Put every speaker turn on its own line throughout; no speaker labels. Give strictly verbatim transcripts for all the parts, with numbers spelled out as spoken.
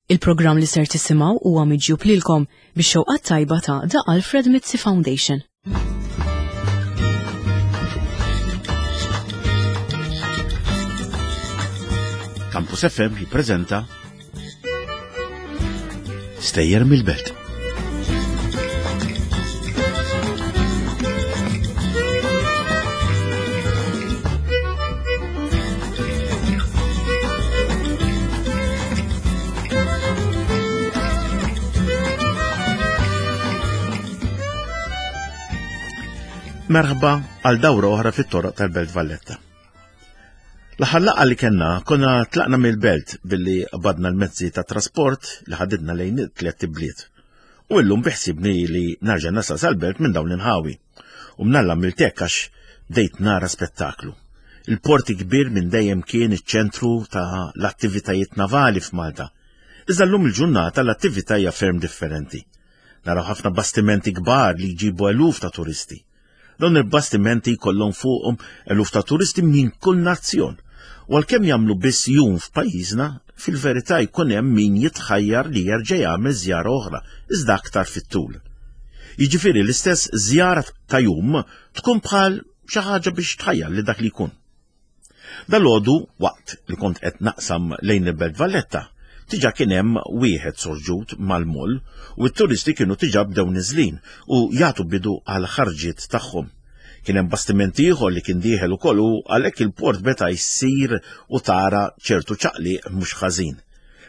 Il-programm li ser tisimgħu huwa miġjub lilkom bix-xewqat tajba ta' The Alfred Mizzi Foundation.
Campus F M jippreżenta Stejjer mill-Belt. Merħba għal dawra oħra fit-toroq tal-Belt Valletta. L-aħħar laqgħa li kellna konna tlaqna mill-belt billi qbadna l-mezzi ta' trasport li ħadidna lejn it-tliet ibliet. U llum biħsibni li narġa' nasal sal-belt minn dawn l-inħawi. U mnalla miltek għax bdejt nara spettaklu. Il-port kbir minn dejjem kien iċ-ċentru ta' l-attivitajiet navali f'Malta. Iżda llum il-ġurnata l-attività hija ferm differenti. Naraw ħafna bastimenti kbar li jġibu eluf ta' turisti. Dawn il-bastimenti jkollhom fuqhom eluf ta' turisti minn kull nazzjon. U għalkemm jagħmlu biss jum f'pajjiżna, fil-verità jkun hemm min jitħajjar li jerġa' jagħmel żjara oħra, iżda aktar fit-tul. Jiġifieri l-istess żjara ta' jum tkun bħal xi ħaġa biex tħajjar li dak li jkun. Dalgħodu waqt li kont qed naqsam lejn il-Belt Valletta, diġà kien hemm wieħed sorġut mal-moll u t-turisti kienu diġà bdew niżlin u jagħtu bidu għal ħarġiet tagħhom. Kien hemm bastiment ieħor li kien dieħel ukoll u għalhekk il-port beta jsir u tara ċertu ċaqliq mhux ħażin.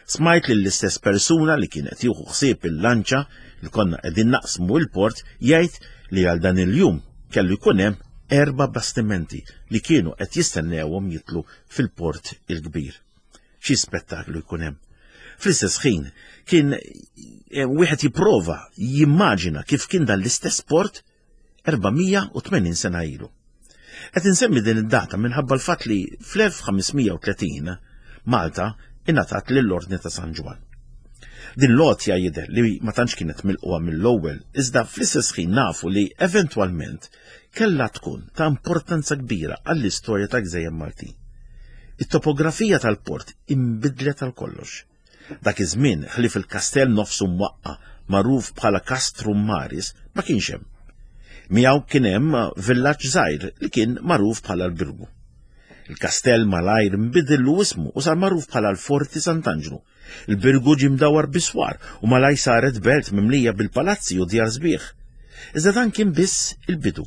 Smajt lill-istess persuna li kien qed jieħu ħsieb il-lanċa li konna qegħdin naqsmu l-port jgħid li għal dan il-jum kellu jkun hemm erba' bastimenti li kienu qed jistennewhom jitlu fil-port il-kbir. Xi spettaklu jkun hemm. Fl-istess ħin kien, eh, wieħed jipprova jimmaġina kif kien dan l-istess port erba' mija u tmenin sena ilu. Qed insemmi din id-data minħabba l-fatt li fl-elf ħames mija u tletin Malta ingħatat lill-Ordni ta' San Ġwann. Din l-għotja jidher li ma tantx kienet milqugħa mill-ewwel, iżda fl-istess ħin nafu li eventwalment kellha tkun ta' importanza kbira għall-istorja ta' Gżejjer Maltin. It-topografija tal-port inbidlet għal kollox. Dak iż-żmien ħlief il-kastell nofsu mwaqqa magħruf bħala Castrum Maris ma kienx hemm. Miegħu kien hemm villaġġ żgħir li kien magħruf bħala l-Birgu. Il-kastell malajr nbidillu ismu u sar magħruf bħala l-Forti Sant'Anġlu. Il-Birgu ġie mdawwar biswar u malaj saret belt mimlija bil-palazzi u djar sbieħ. Iżda dan kien biss il-bidu.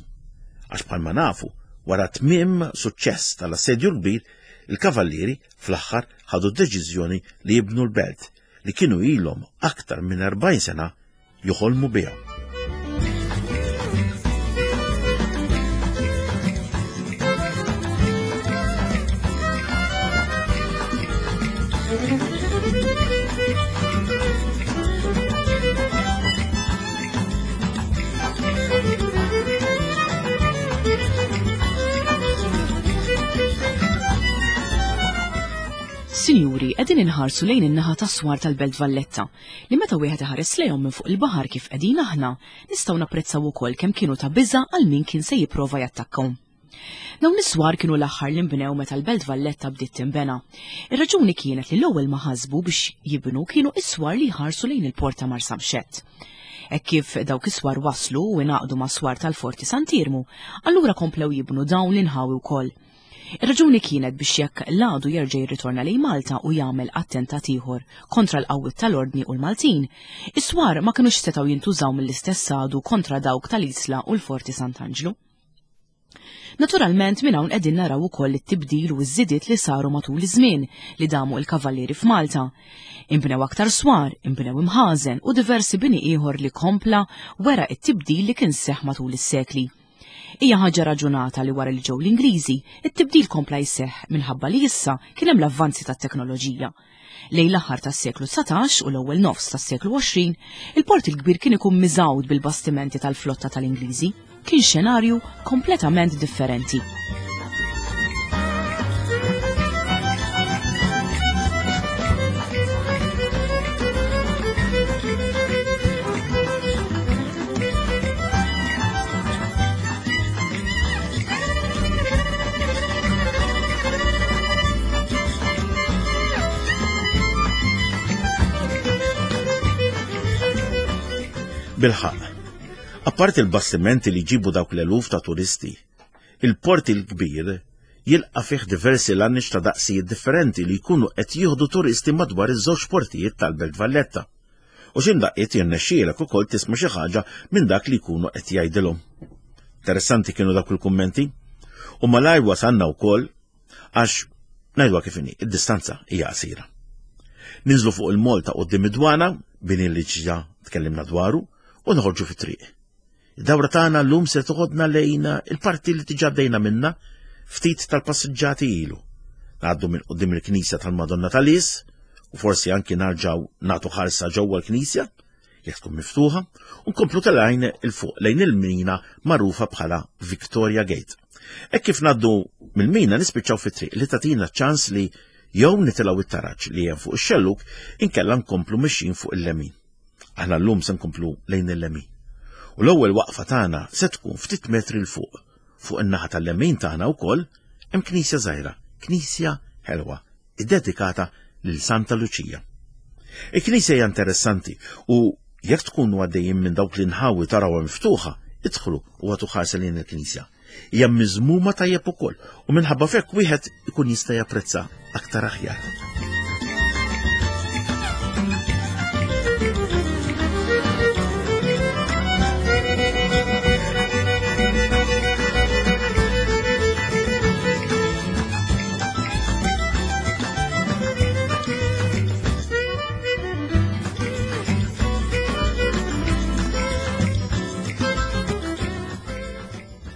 Għax bħalma nafu, wara tmiem suċċess tal-assedju l-kbir, il-kavallieri fl-aħħar ħadu deċiżjoni li jibnu l-belt li kienu ilhom aktar minn erbgħin sena joħolmu biha.
Sinjuri, qegħdin inħarsu lejn in-naħa tas-swar tal-Belt Valletta, li meta wieħed iħares lejhom minn fuq il-baħar kif qegħdin aħna, nistgħu napprezzaw ukoll kemm kienu ta' biża' għal min kien se jipprova jattakkhom. Dawn is-swar kienu l-aħħar li nbnew meta l-Belt Valletta bdiet tinbena. Ir-raġuni kienet li l-ewwel ma ħasbu biex jibnu kienu is-swar li jħarsu lejn il-port ta' Marsamxett. Hekk kif dawk is-swar waslu u ingħaqdu ma' swar tal-Forti Sant'Iermu, allura komplew jibnu dawn l-inħawi wkoll. Ir-raġuni kienet biex jekk l-għadu jerġa' jirritorna lejn Malta u jagħmel attentat ieħor kontra l-qawwiet tal-Ordni u l-Maltin, is-swar ma kinux setgħu jintużaw mill-istess għadu kontra dawk tal-Isla u l-Forti Sant'Anġlu. Naturalment minn hawn qegħdin naraw ukoll it-tibdil u ż-żidiet li saru matul iż-żmien li damu l-kavallieri f'Malta. Inbnew aktar swar, inbnew imħażen u diversi bini ieħor li kompla wera it-tibdil li kien seħ matul is-sekli. Hija ħaġa raġunata li wara li ġew l-Ingliżi, it-tibdil kompla jseħħ minħabba li issa kien hemm l-avvanzi tat-teknoloġija. Lejn l-aħħar tas-seklu dsatax u l-ewwel nofs tas-seklu għoxrin, il-port il-kbir kien ikun miżgħud bil-bastimenti tal-flotta tal-Ingliżi. Kien xenarju kompletament differenti.
Bilħaqq, apparti l-bastimenti li jġibu dawk l-eluf ta' turisti, il-Port il-Kbir jilqa' fih diversi lanniċ ta' daqsijiet differenti li jkunu qed jieħdu turisti madwar iż-żewġ portijiet tal-Belt Valletta. U xi mdaqqiet jirnexxielek ukoll tisma' xi ħaġa minn dak li jkunu qed jgħidilhom. Interessanti kienu dawk il-kummenti. U malajr wasalna wkoll għax ngħidwa kif inhi, id-distanza hija qasira. Ninżlu fuq il-mol ta' quddiem id-dwana, bini li ġa tkellimna dwaru, u noħorġu fit-triq. Id-dawra tagħna llum se toħodna lejn il-parti li diġà bdejna minna ftit tal-passiġġati ilu. Ngħaddu minn quddiem il-Knisja tal-Madonna tal-Lies u forsi anki narġgħu nagħtu ħarsa ġewwa l-Knisja jekk tkun miftuħa, u nkomplu telgħin il fuq lejn il-mina magħrufa bħala Victoria Gate. Hekk kif ngħaddu mill-mina nispiċċaw fit-triq li tagħtina ċans li jew nitilgħu it-taraġ li hemm fuq ix-xellug inkella nkomplu mixjin fuq il-lemin. Aħna llum se nkomplu lejn il-lemin. U l-ewwel waqfa tagħna se tkun ftit metri l fuq. Fuq in-naħa tal-lemin tagħna wkoll hemm knisja żgħira, knisja ħelwa, iddedikata lil Santa Luċija. Il-knisja hija interessanti u jekk tkunu għaddejjin minn dawk l-inħawi tarawha miftuħa, idħlu u għatu ħarsa lejn il-knisja. Hija miżmuma tajjeb ukoll u minħabba f'hekk wieħed ikun jista' japprezza aktar aħjar.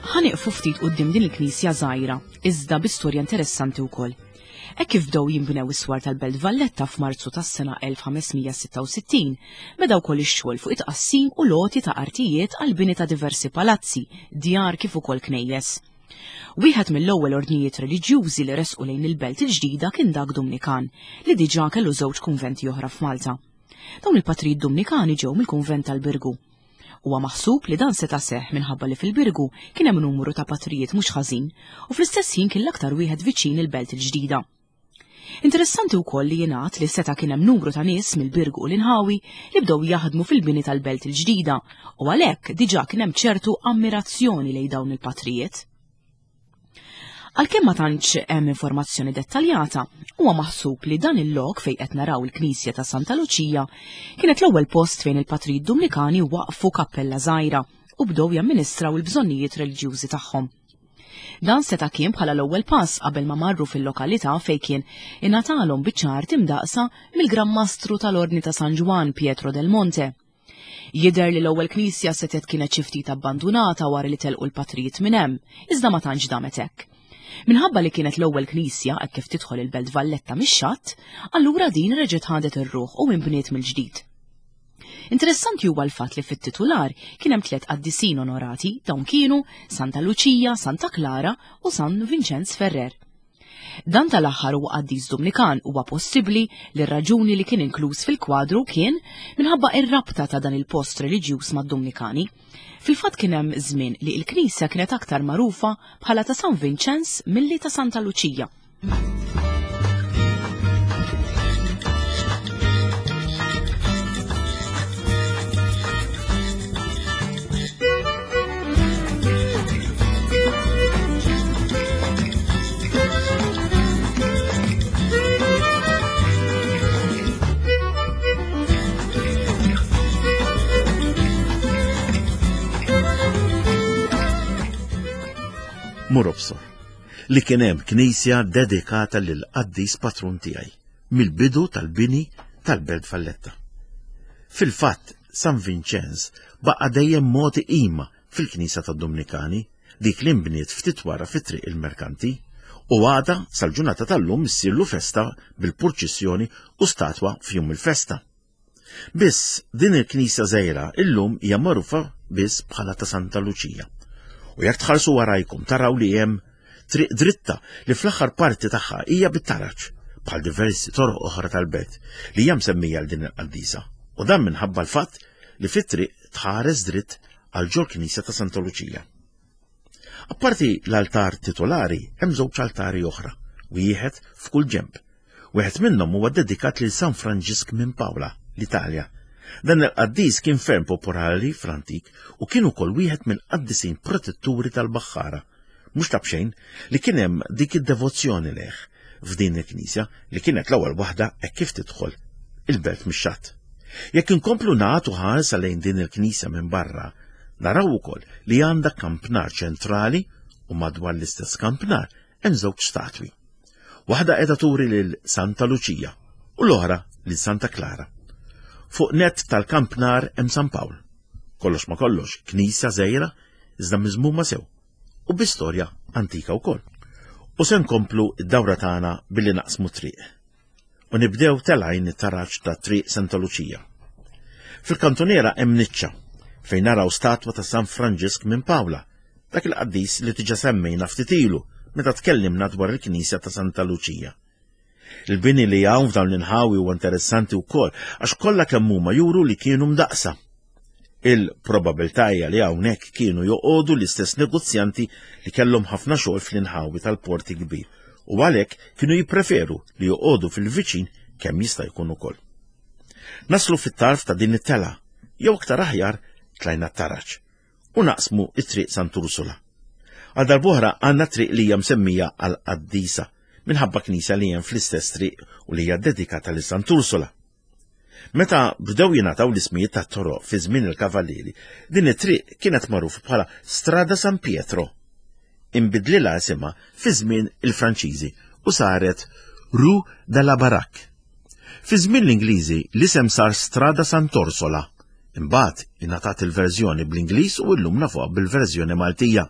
Ħa nieqfu ftit quddiem din il-knisja żgħira, iżda bi storja interessanti wkoll. Hekk kif bdew jinbnew is-swar tal-Belt Valletta f'Marzu tas-sena elf ħames mija sitta u sittin, beda wkoll ix-xogħol fuq it-tqassim u loti ta' artijiet għal bini ta' diversi palazzi, djar kif ukoll knejjes. Wieħed mill-ewwel ordnijiet reliġjużi li resqu lejn il-Belt il-ġdida kien dak Dumnikan, li diġà kellu żewġ kunventi oħra f'Malta. Dawn il-patrijiet Dumnikani ġew mill-kunvent tal-Birgu. Huwa maħsub li dan seta' seħħ minħabba li fil-Birgu kien hemm numru ta' patrijiet mhux ħażin u fl-istess ħin kien l-aktar wieħed viċin il-Belt il-ġdida. Interessanti wkoll li jingħad li seta' kien hemm numru ta' nies mill-Birgu u l-inħawi li bdew jaħdmu fil-bini tal-Belt il-ġdida u għalhekk diġà kien hemm ċertu ammirazzjoni lejn dawn il-patrijiet. Għalkemm ma tantx hemm informazzjoni dettaljata, huwa maħsub li dan il-lok fejn qed naraw il-Knisja ta' Santa Luċija kienet l-ewwel post fejn il-patrijiet Dumnikani waqfu kappella żgħira u bdew jamministraw il-bżonnijiet reliġjużi tagħhom. Dan seta' kien bħala l-ewwel pass qabel ma marru fil-lokalità fejn kien ingħatalhom biċċa art imdaqsa mill-Gran Mastru tal-Ordni ta' San Ġwann Pietro del Monte. Jidher li l-ewwel knisja setgħet kienet xi ftit abbandunata wara li telqu l-patrijiet minn hemm, iżda ma tantx damet hekk. Minħabba li kienet l-ewwel knisja hekk kif tidħol il-Belt Valletta mix-xatt, allura din reġgħet ħadet ir-ruħ u inbniet mill-ġdid. Interessanti huwa l-fatt li fit-titular kien hemm tliet qaddisin onorati, dawn kienu Santa Luċija, Santa Klara u San Vincenz Ferrer. Dan tal-aħħar huwa qaddis Dumnikan, huwa possibbli li r-raġuni li kien inkluż fil-kwadru kien minħabba ir-rabta ta' dan il-post reliġjuż mad-Dumnikani. Fil-fatt kien hemm żmien li l-knisja kienet aktar magħrufa bħala ta' San Vincenz milli ta' Santa Luċija.
Mur obsor, li kien hemm knisja dedikata lil qaddis patrun tiegħi mill-bidu tal-bini tal-Belt Valletta. Fil-fatt, San Vincenz baqa' dejjem mogħti qima fil-Knisja tad-Dumnikani, dik li nbniet ftit wara fi triq il-Merkanti, u għada sal-ġurnata tal-lum issirlu festa bil-purċissjoni u statwa f'jum il-festa. Biss din il-knisja żgħira illum hija magħrufa biss bħala ta' Santa Luċija. U jekk tħarsu warajkom taraw li hemm triq dritta li fl-aħħar parti tagħha hija bit-taraġ, bħal diversi toroq oħra tal-belt li hija msemmija għal din il-qaddisa. U dan minħabba l-fatt li fit-triq tħares dritt għal ġol knisja ta' Santa Luċija. Apparti l-altar titolari hemm żewġ altari oħra, wieħed f'kull ġenb. Wieħed minnhom huwa dedikat lil San Franġisk minn Paola, l-Italja, Dan il-qaddis kien ferm popolari fl-antik u kien ukoll wieħed mill-qaddisin protetturi tal-baħħara. Mhux ta' b'xejn li kien hemm dik id-devozzjoni lejh f'din il-knisja li kienet l-ewwel waħda hekk kif tidħol il-belt mix-xatt. Jekk inkomplu nagħtu ħarsa lejn din il-knisja minn barra, naraw ukoll li għandha kampnar ċentrali u madwar l-istess kampnar hemm żewġ statwi. Waħda qiegħda turi lil Santa Luċija u l-oħra lil Santa Klara. Fuq net tal-kampnar hemm San Pawl. Kollox ma kollox, knisja żgħira iżda miżmuma sew u bi storja antika wkoll. U se nkomplu d-dawra tagħna billi naqsmu triq. U nibdew telgħin it-taraġ ta' Triq Santa Luċija. Fil-kantuniera hemm niċċa fejn naraw statwa ta' San Franġisk minn Pawla, dak il-qaddis li diġà semmejna ftit ilu meta tkellimna dwar il-Knisja ta' Santa Luċija. Il-bini li hawn f'dawn l-inħawi huwa interessanti wkoll għax kollha kemm huma juru li kienu mdaqsa. Il-probabilità hija li hawnhekk kienu joqogħdu l-istess negozjanti li kellhom ħafna xogħol fl-inħawi tal-porti kbir u għalhekk kienu jippreferu li joqogħdu fil-viċin kemm jista' jkun ukoll. Naslu fit-tarf ta' din it-tela, jew aktar aħjar tlajna t-taraġ u naqsmu it-triq Sant'Ursula. Għal darb'oħra għandna triq li hija msemmija għal qaddisa minħabba knisja li hemm fl-istess triq u li hija dedikata lil Sant'Ursula. Meta bdew jingħataw l-ismijiet tat-toroq fi żmien il-Kavallieri, din it-triq kienet magħrufa bħala Strada San Pietro. Inbidlilha isimha fi żmien il-Franċiżi u saret Rue de la Baraque. Fi żmien l-Ingliżi l-isem sar Strada Sant'Orsola. Imbagħad ingħatat il-verżjoni bl-Ingliż u llum nafuha bil-verżjoni Maltija.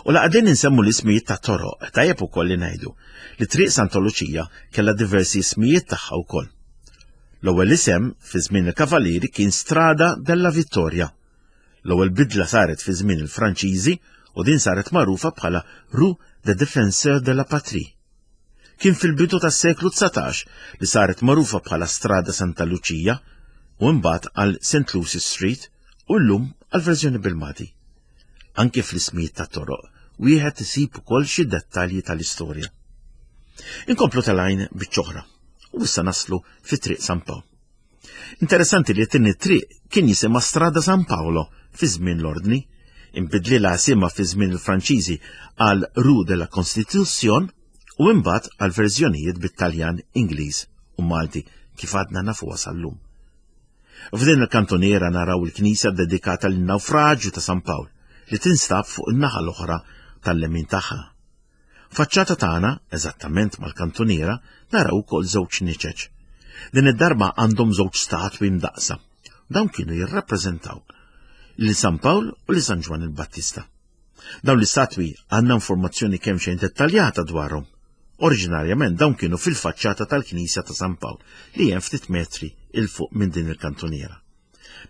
U la qegħdin insemmu l-ismijiet ta' toroq, tajjeb ukoll li ngħidu li Triq Santa Luċija kellha diversi ismijiet tagħha wkoll. L-ewwel isem fi żmien il-Kavallieri kien Strada della Vittoria. L-ewwel bidla saret fi żmien il-Franċiżi u din saret magħrufa bħala Rue des Défenseurs de la Patrie. Kien fil-bidu tas-seklu dsatax li saret magħrufa bħala Strada Santa Luċija u mbagħad għal Saint Lucy Street u llum għal verżjoni bil-Malti. Anke fl-ismijiet ta' toroq wieħed isib ukoll xi dettalji tal-istorja. Inkomplu tal-għajn biċ-ċoħra u issa naslu fi Triq San Pawl. Interessanti li t-tieni triq kien jisimha Strada San Paolo fi żmien l-Ordni, inbidlilha isimha fi żmien il-Franċiżi għal Rue de la Constitution u imbagħad għal verżjonijiet bit-Taljan, Ingliż u Malti kif għadna nafuha sal-lum. F'din il-kantoniera naraw il-knisja dedikata lin-nawfraġju ta' San Pawl li tinstab fuq in-naħa l-oħra tal-lemin tagħha. Faċċata tagħna, eżattament mal-kantoniera, naraw ukoll żewġ niċeċ. Din id-darba għandhom żewġ statwi mdaqsa. Dawn kienu jirrappreżentaw lil San Pawl u lil San Ġwann il-Battista. Dawn l-istatwi għandna informazzjoni kemm xejn dettaljata dwarhom. Oriġinarjament dawn kienu fil-faċċata tal-Knisja ta' San Pawl li hemm ftit metri il fuq minn din il-kantoniera.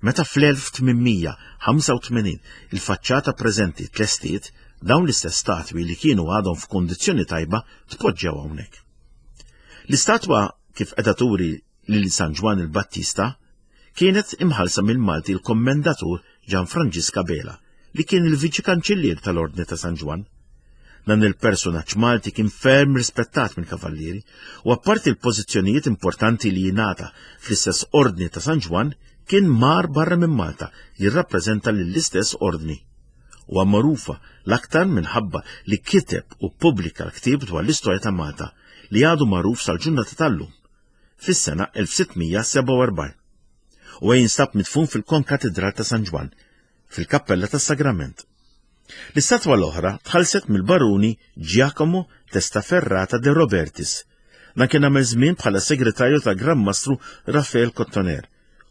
Meta fl-elf tmien mija ħamsa u tmenin il-faċċata preżenti tlestiet, dawn l-istess statwi li kienu għadhom f'kundizzjoni tajba tpoġġew hawnhekk. L-istatwa kif qiegħda turi lil San Ġwann il-Battista kienet imħallsa mill-Malti l-Kommendatur Gian Franġisk Abela li kien il-Viċi Kanċillier tal-Ordni ta' San Ġwann. Dan il-personaġġ Malti kien ferm rispettat mill-Kavallieri u apparti l-pożizzjonijiet importanti li jingħata fl-istess Ordni ta' San Ġwann kien mar barra minn Malta jirrappreżenta lill-istess ordni. Huwa magħrufa l-aktar minħabba li kiteb u ppubblika l-ktieb dwar l-istorja ta' Malta li għadu magħruf sal-ġurnata tal-lum fis-sena elf sitt mija sebgħa u erbgħin. U jinstab midfun fil-Konkatedral ta' San Ġwann, fil-Kappella tas-Sagrament. L-istatwa l-oħra tħallset mill-baruni Giacomo Testaferrata de Robertis. Dan kien għamel żmien bħala segretarju ta' Gran Mastru Raffaele Cottoner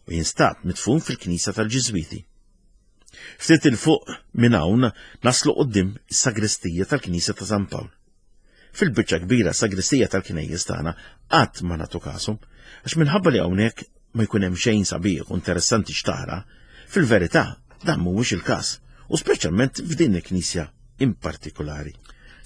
u jinstab midfun fil-Knisja tal-Ġiżwiti. Ftit il fuq minn hawn naslu quddiem is-sagristija tal-Knisja ta' San Pawl. Fil-biċċa kbira sagristija tal-knejjes tagħna qatt ma nagħtu kashom, għax minħabba li hawnhekk ma jkun hemm xejn sabiħ u interessanti x'tara, fil-verità dan mhuwiex il-każ, u speċjalment f'din il-knisja in partikolari.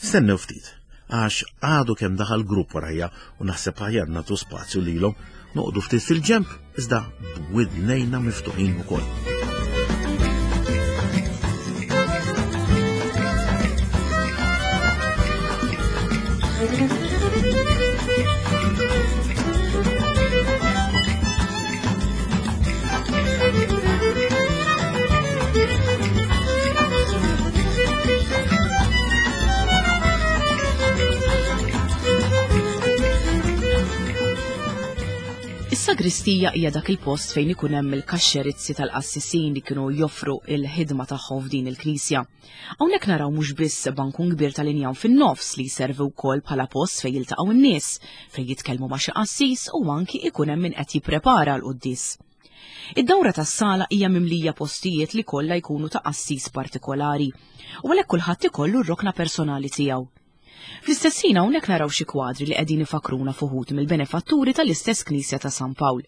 Stennew ftit, għax għadu kemm daħal grupp warajja u naħseb aħjar nagħtu spazju lilhom, noqogħdu ftit fil-ġenb iżda b'widnejna miftuħin ukoll.
Is-sagristija hija dak il-post fejn ikun hemm il-kaxxerizzi tal-qassisin li kienu joffru il-ħidma tagħhom f'din il-knisja. Hawnhekk naraw mhux biss bankun kbir tal-injam fin-nofs li jservi wkoll bħala post fejn jiltaqgħu n-nies, fejn jitkellmu ma' xi qassis u anki ikun hemm min qed jipprepara l-quddies. Id-dawra tas-sala hija mimlija postijiet li kollha jkunu ta' qassis partikolari u għalhekk kulħadd ikollu r-rokna personali tiegħu. Fl-istess ħin hawnhekk naraw xi kwadri li qegħdin ifakruna f'uħud mill-benefatturi tal-istess Knisja ta' San Pawl.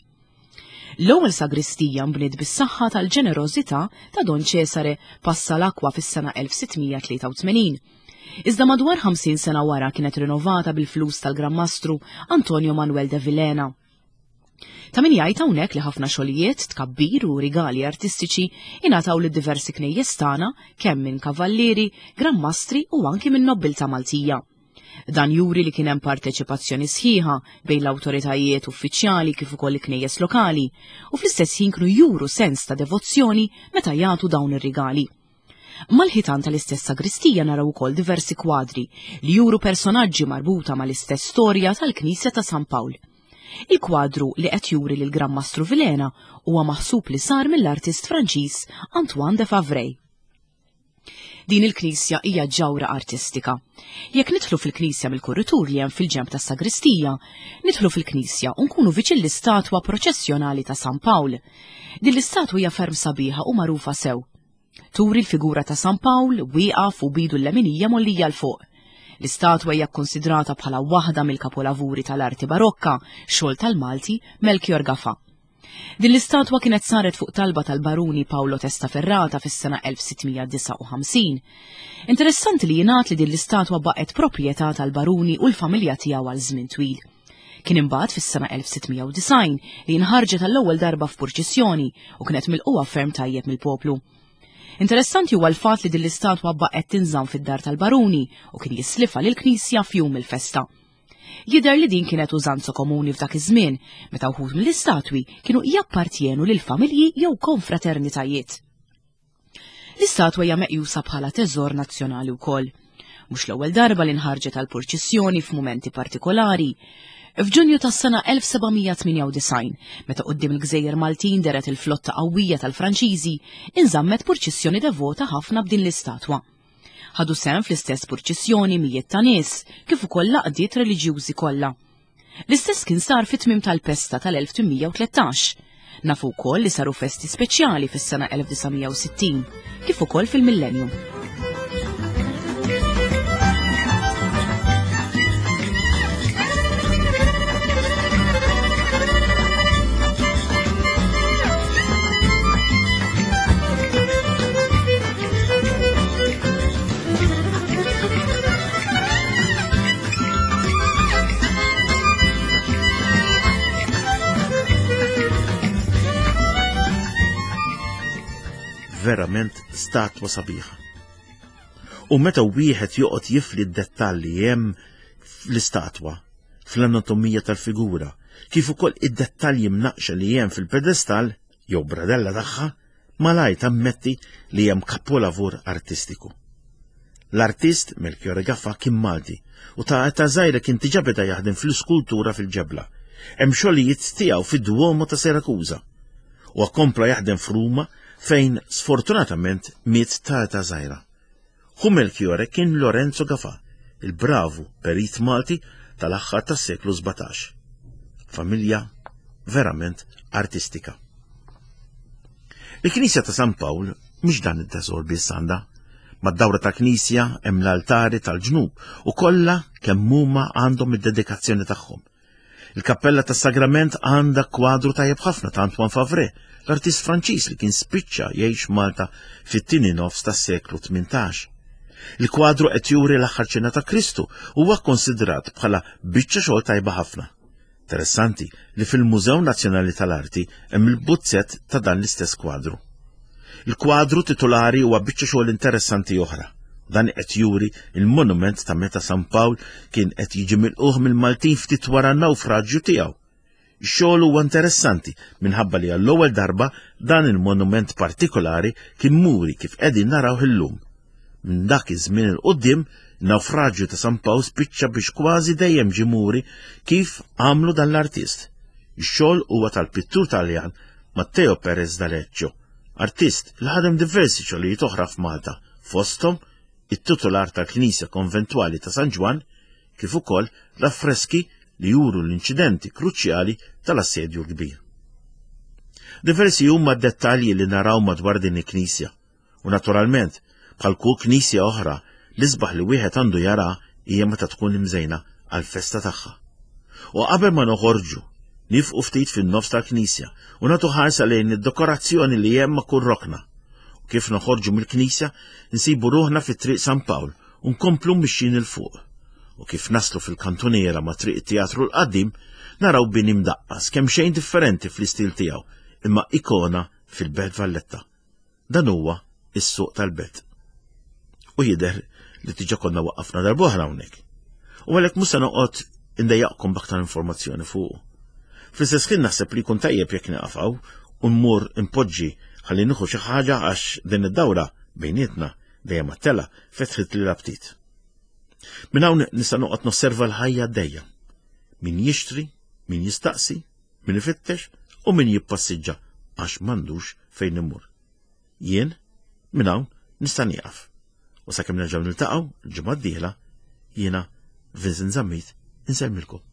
L-ewwel sagristija nbniet bis-saħħa tal-ġenerożità ta' Don Cesare Passalacqua fis-sena elf sitt mija tlieta u tmenin. Iżda madwar ħamsin sena wara kienet rinnovata bil-flus tal-Gran Mastru Antonio Manuel de Villena. Ta' min jgħid hawnhekk li ħafna xogħlijiet, tkabbir u rigali artistiċi ingħataw lid diversi knejjes tagħna kemm minn kavallieri, gran mastri u anki minn nobbiltà Maltija. Dan juri li kien hemm parteċipazzjoni sħiħa bejn l-awtoritajiet uffiċjali kif ukoll il-knejjes lokali u fl-istess ħin kienu juru sens ta' devozzjoni meta jagħtu dawn ir-rigali. Mal-ħitan tal-istess sagristija naraw ukoll diversi kwadri li juru personaġġi marbuta mal-istess storja tal-Knisja ta' San Pawl. Il-kwadru li qed juri lil Gran Mastru Vilhena huwa maħsub li sar mill-artist Franċiż Antoine de Favray. Din il-knisja hija ġawra artistika. Jekk nidħlu fil-knisja mill-kuritur li hemm fil-ġenb tas-sagristija, nidħlu fil-knisja u nkunu viċin l-istatwa proċessjonali ta' San Pawl. Din l-istatwa hija ferm sabiħa u magħrufa sew. Turi l-figura ta' San Pawl wieqaf u b'idu l-leminija mgħollija 'l fuq. L-istatwa hija kkonsidrata bħala waħda mill-kapolavuri tal-arti barokka, xogħol tal-Malti Melchior Gafà. Din l-istatwa kienet saret fuq talba tal-baruni Paolo Testaferrata fis-sena elf sitt mija disgħa u ħamsin. Interessanti li jingħad li din l-istatwa baqgħet proprjetà tal-baruni u l-familja tiegħu għal żmien twil. Kien imbagħad fis-sena elf sitt mija u disgħin li nħarġet għall-ewwel darba f'purċissjoni u kienet milqugħa ferm tajjeb mill-poplu. Interessanti huwa l-fatt li din l-istatwa baqgħet tinżamm fid-dar tal-baruni u kien jislifha lill-knisja f'jum il-festa. Jidher li din kienet użanza komuni f'dak iż-żmien, meta wħud mill-istatwi kienu jappartjenu lil familji jew konfraternitajiet. L-istatwa hija meqjusa bħala teżor nazzjonali wkoll. Mhux l-ewwel darba li nħarġet għal purċissjoni f'mumenti partikolari. F'Ġunju tas-sena elf seba' mija tmienja u disgħin, meta quddiem il-Gżejjer Maltin dehret il-flotta qawwija tal-Franċiżi, inżammet purċissjoni devota ħafna b'din l-istatwa. Ħadu sehem fl-istess purċissjoni mijiet ta' nies, kif ukoll l-għaqdiet reliġjużi kollha. L-istess kien sar fit-tmiem tal-pesta tal-elf tmien mija u tlettax. Nafu wkoll li saru festi speċjali fis-sena elf disa' mija u sittin, kif ukoll fil-millennium.
Verament statwa sabiħa. U meta wieħed joqgħod jifli d-dettalji hemm fl-istatwa, fl-anatomija tal-figura, kif ukoll id-dettalji mnaqxa li hemm fil-pedestal jew bradella tagħha, malaj tammetti li hemm kapolavur artistiku. L-artist Melchior Gafà kien Malti u ta' età żgħira kien diġà beda jaħdem fl-iskultura fil-ġebla. Hemm xogħlijiet tiegħu fid-Duomo ta' Siracusa u kompla jaħdem f'Ruma fejn sfortunatament miet ta' età żgħira. Ħu Melchiore kien Lorenzo Gafà, il-bravu perit Malti tal-aħħar tas-seklu sbatax. Familja verament artistika. Il-Knisja ta' San Pawl mhux dan it-teżor biss għandha. Mad-dawra ta' knisja hemm l-altari tal-ġnub u kollha kemm huma għandhom id-dedikazzjoni tagħhom. Il-Kappella tas-Sagrament għandha kwadru tajjeb ħafna ta' Antoine Favre, l-artist Franċiż li kien spiċċa jgħix Malta fit-tieni nofs tas-seklu tmintax. Il-kwadru qed juri l-aħħar ċena ta' Kristu u huwa kkonsidrat bħala biċċa xogħol tajba ħafna. Interessanti li fil-Mużew Nazzjonali tal-Arti hemm il-buzzett ta' dan l-istess kwadru. Il-kwadru titolari huwa biċċa xogħol interessanti oħra. Dan qed juri il-monument ta' meta San Pawl kien qed jiġi milquh mill-Maltin ftit wara n-nawfraġġju tiegħu. Ix-xogħol huwa interessanti minħabba li għall-ewwel darba dan il-monument partikolari kien muri kif qegħdin naraw illum. Minn dak iż-żmien 'il quddiem, nawfraġġju ta' San Pawl spiċċa biex kważi dejjem ġie muri kif għamlu dan l-artist. Ix-xogħol huwa tal-pittur Taljan Matteo Perez d'Aleccio, artist li ħadem diversi xogħlijiet oħra f'Malta, fosthom it-titular tal-Knisja Konventwali ta' San Ġwann, kif ukoll l-affreski li juru l-inċidenti kruċjali tal-Assedju l-Kbir. Diversi huma d-dettalji li naraw madwar din il-knisja, u naturalment, bħal kull knisja oħra, l-isbaħ li wieħed għandu jara hija meta tkun imżejna għall-festa tagħha. U qabel ma noħorġu, nifqu ftit fin-nofs tal-knisja u nagħtu ħarsa lejn id-dekorazzjoni li hemm ma' kull rokna. U kif noħorġu mill-knisja, nsibu ruħna fit-Triq San Pawl u nkomplu mixjin 'il fuq. U kif naslu fil-kantuniera ma' Triq it-Teatru l-Qadim, naraw bini mdaqqas kemm xejn differenti fl-istil tiegħu, imma ikona fil-Belt Valletta. Dan huwa is-suq tal-belt. U jidher li diġà konna waqqafna darb'oħra hawnhekk. U għalhekk mhux se noqgħod indejjaqkom b'aktar informazzjoni fuqu. Fl-istess ħin naħseb li jkun tajjeb jekk nieqaf hawn u mmur impoġġi ħalli nieħu xi ħaġa għax din id-dawra bejnietna dejjem għat-tela fetħet li l-aptit. Minn hawn nista' noqgħod nosserva l-ħajja għaddejja. Min jixtri, min jistaqsi, min ifittex u min jippassiġġa għax m'għandux fejn imur. Jien minn hawn nista' nieqaf. U sakemm nerġgħu niltaqgħu l-ġimgħa d-dieħla, jiena Vincent Zammit insellmilkom.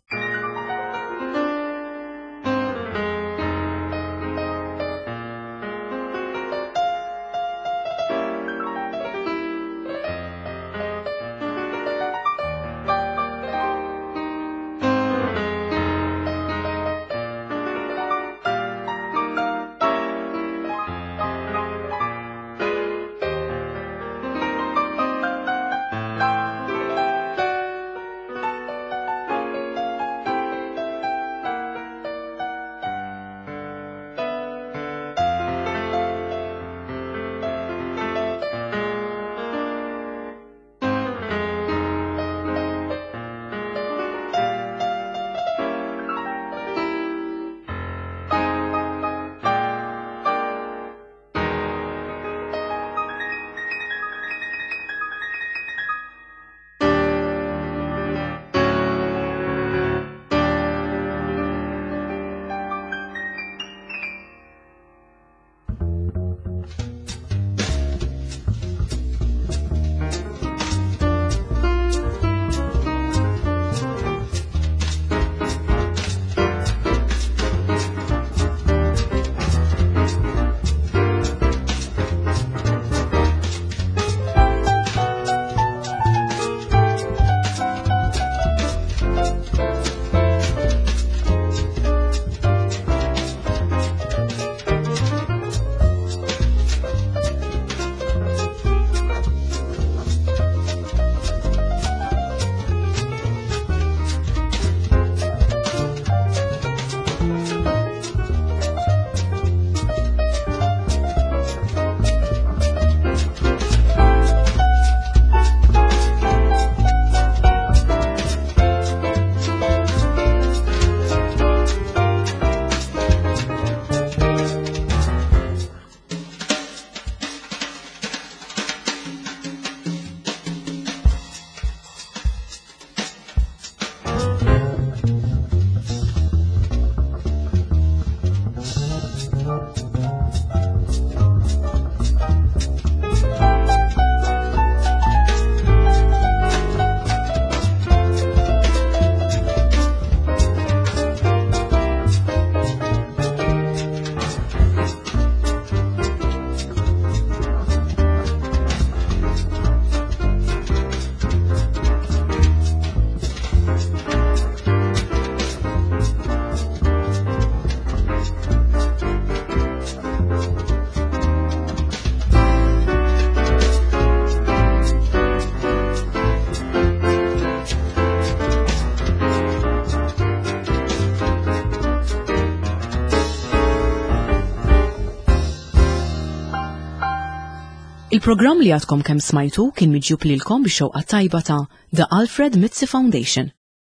Il-programm li għadkom kemm smajtu kien miġjub lilkom bix-xewqa tajba ta' The Alfred Mizzi Foundation.